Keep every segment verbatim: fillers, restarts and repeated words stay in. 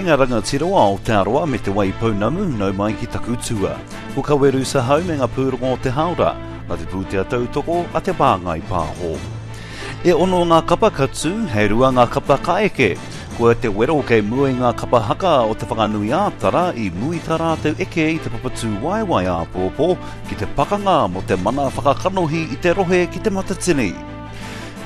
Kāinga rangatira o Aotearoa me Te Waipounamu, nau mai ki taku tua. Ko Kaweru Sahau me ngā pūrongo o te haora, nā te pūtea tautoko a Te Māngai Pāho. E ono ngā kapa ka tū, he rua ngā kapa ka eke. Koia te wero kei mua i ngā kapa haka o Te Whanganui-ā-Tara i mua i tā rātou eke i te Papatūwaewae āpōpō ki te pakanga mō te mana whakakanohi i te rohe ki Te Matatini.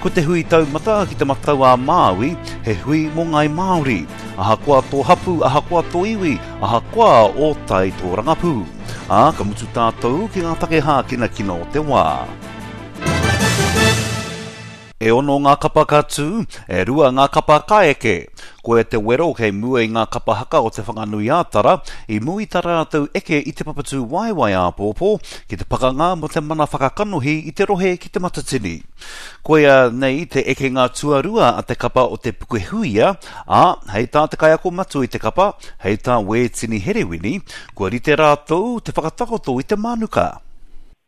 Ko te hui taumata ki Te Matau-a-Māui, he hui mō Ngāi Māori. Ahakoa tō hapū, ahakoa tō iwi, ahakoa ō tai tōrangapū. Ā, ka mutu tātou ki ngā take hākinakina o te wā. E ono ngā kapa ka tū, e rua ngā kapa ka eke. Koia te wero kei mua i ngā kapa haka o Te Whanganui-ā-Tara i mua i tā rātou eke i te Papatūwaewae āpōpō ki te pakanga mō te mana whakakanohi i te rohe ki Te Matatini. Koia nei te ekenga tuarua a te kapa o Te Pukehuia, ā, hei tā te kaiako matua i te kapa, hei tā Wētini Herewini, kua rite rātou te whakatakoto i te mānuka.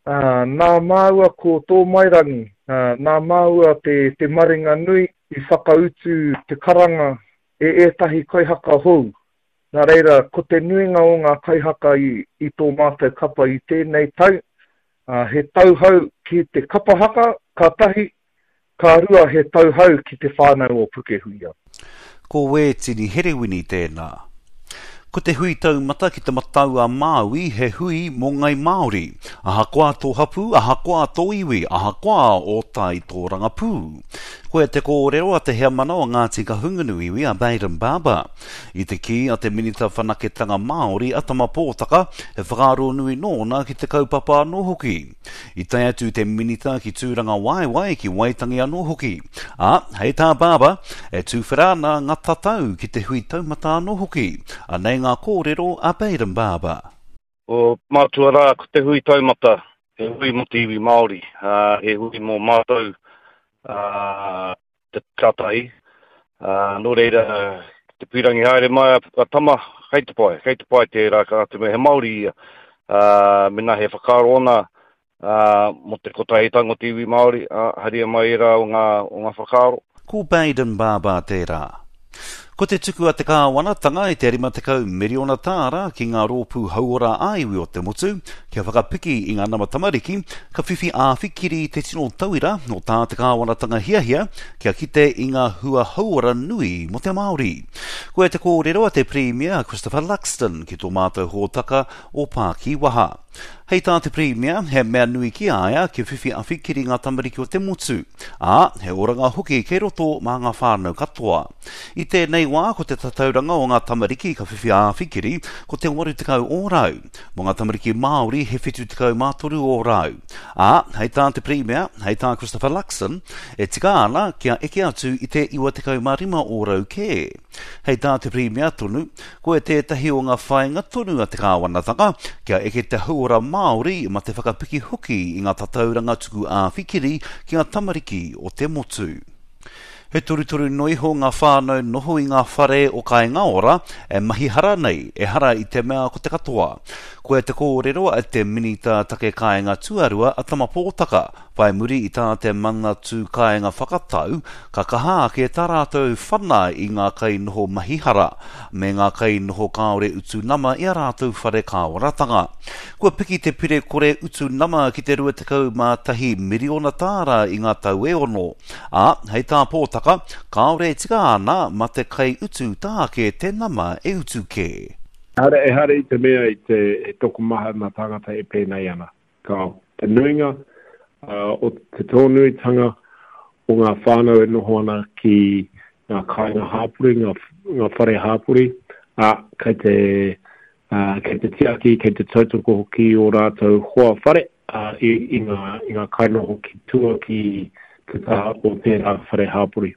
Ā, nā māua ko Tōmairangi, ā, nā māua te, te maringa nui i whakautu te karanga e ētahi kaihaka hou. Nā reira, ko te nuinga o ngā kaihaka i, i tō mātou kapa i tēnei tau, ā, he tauhou ki te kapa haka, ka tahi, ka rua he tauhou ki te whānau o Pukehuia. Ko Wētini Herewini tēnā. Ko te hui taumata ki Te Matau-a-Māui he hui mō Ngai Māori. Ahakoa tō hapū, ahakoa tō iwi, ahakoa ō tai tōrangapū. Koia te kōrero a te heamana o Ngāti Kahungunu iwi a Bayden Barber. I te kī a te Minita Whanaketanga Māori a Tama Pōtaka, he whakaaro nui nōna ki te kaupapa anō hoki. I tae atu te Minita ki Tūrangawaewae, ki Waitangi anō hoki. Ā, hei tā Barber, e tuwhera ana ngā tatau ki te hui taumata anō hoki. Anei ngā kōrero a Bayden Barber. Ko mātua rā, ko te hui taumata, he hui mō te iwi Māori, ā, he hui mō mātou, ā, te ka tahi. Ā, nō reira, te pīrangi haere mai a, a Tama, kei te pai, kei te pai tērā, ka te mea he Māori ia. Ā, mēnā he whakaaro ona, ā, mō te kotahitanga o te iwi Māori, ā, haria mai ērā o ngā, o ngā whakaaro. Ko Bayden Barber tērā. Ko te tuku a te kāwanatanga i te rima tekau miriona tāra ki ngā rōpū hauora ā-iwi o te motu kia whakapiki i ngā nama tamariki, ka whiwhi āwhikiri te tino tauira o tā te kāwanatanga hiahia kia kite i ngā hua hauora nui mō te Māori. Koia te kōrero a te Pirimia Christopher Luxton ki tō mātou hōtaka o Pākiwaha. Hei tā te Pirimia, he mea nui ki a ia kia whiwhi awhikiri ngā tamariki o te motu, ā, he oranga hoki kei roto mā ngā whānau katoa. I tēnei wā, ko te tatauranga o ngā tamariki ka whiwhi āwhikiri, ko te waru tekau ōrau. Mō ngā tamariki Māori, he whitu tekau mā toru ōrau. Ā, hei tā te Pirimia, hei tā Christopher Luxon, e tika ana kia eke atu i te iwa tekau mā rima ōrau kē. Hei tā te Pirimia tonu, koia tētahi o ngā whāinga tonu a te kāwanatanga, kia eke te hauora Māori ma te whakapiki hoki i ngā tatauranga tuku āwhikiri ki ngā tamariki o te motu. He torutoru noa iho ngā whānau noho i ngā whare o Kāinga Ora e mahi hara nei, ehara i te mea ko te katoa. Koia te kōrero a te Minita Take Kāinga Tuarua a Tama Pōtaka, whai muri i tā te Manatū Kāinga whakatau, ka kaha ake tā rātou whana i ngā kainoho mahi hara, me ngā kainoho kāore utu nama i a rātou whare kāwanatanga. Kua piki te pire kore utu nama ki te rua tekau mā tahi miriona tāra i ngā tau e ono. Ā, hei tā Pōtaka, kāore e tika ana mā te kaiutu tāke te nama e utu kē. Ehara, ehara i te mea i te he tokomaha ngā tāngata e pēnei ana. Ka te nuinga uh, o te tōnuitanga o ngā whānau e noho ana ki ngā kāinga hāpori, ngā, ngā whare hāpori, ā, kei te, uh, kei te tiaki, kei te tautoko hoki o rātou hoa whare, uh, i, i, ngā, i ngā kainoho ki tua ki te taha o tērā whare hāpori.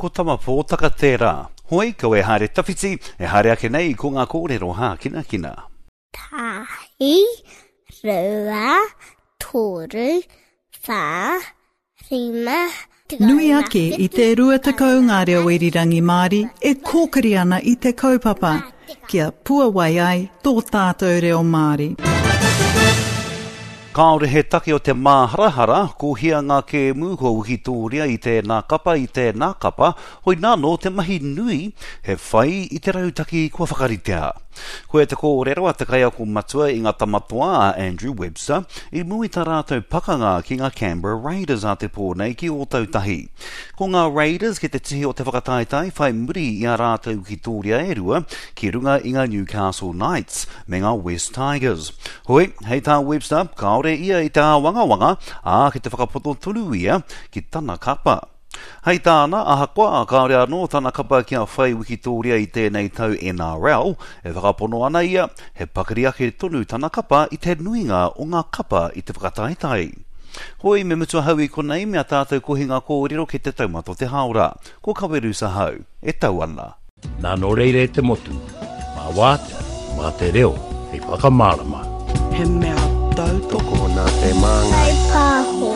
Ko Tama Pōtaka tērā. Hoi, kaua e haere tawhiti, e haere ake nei ko ngā kōrero hākinakina. Tahi, rua, toru, whā, rima, tekau Nui mā ake i whitu, te rua tekau tekau ngā mā reo irirangi Māori e kōkiri ana i te kaupapa kia puawai ai tō tātou reo Māori. Kāore he take o te māharahara, ko hia ngā kēmu kua wikitōria i tēnā kapa i tēnā kapa, hoi nāno te mahi nui, he whai i te rautaki kua whakaritea. Koia te kōrero a te kaiako matua i ngā Tamatoa a Andrew Webster i mua i tā rātou pakanga ki ngā Canberra Raiders a te pō nei ki Ōtautahi. Ko ngā Raiders ki te tihi o te whakataetae whai muri i ā rātou wikitōria e rua ki runga i ngā Newcastle Knights me ngā West Tigers. Hoi, hei tā Webster, kāore ia i te āwangawanga, ā, ki te whakapono tonu ia ki tana kapa. Hei tāna, ahakoa kāore anō tana kapa kia whai wikitōria i tēnei tau N R L, e whakapono ana ia, he pakari ake tonu tana kapa i te nuinga o ngā kapa i te whakataetae. Hoi, me mutu ahau i konei me a tātou kohinga kōrero ki te taumata o te hāora. Ko Kawerusa ahau, e tau ana. Nā nō reira e te motu, mā wātea, mā te reo, hei whakamārama. He mea tautoko Tokona te māngai. Pāho.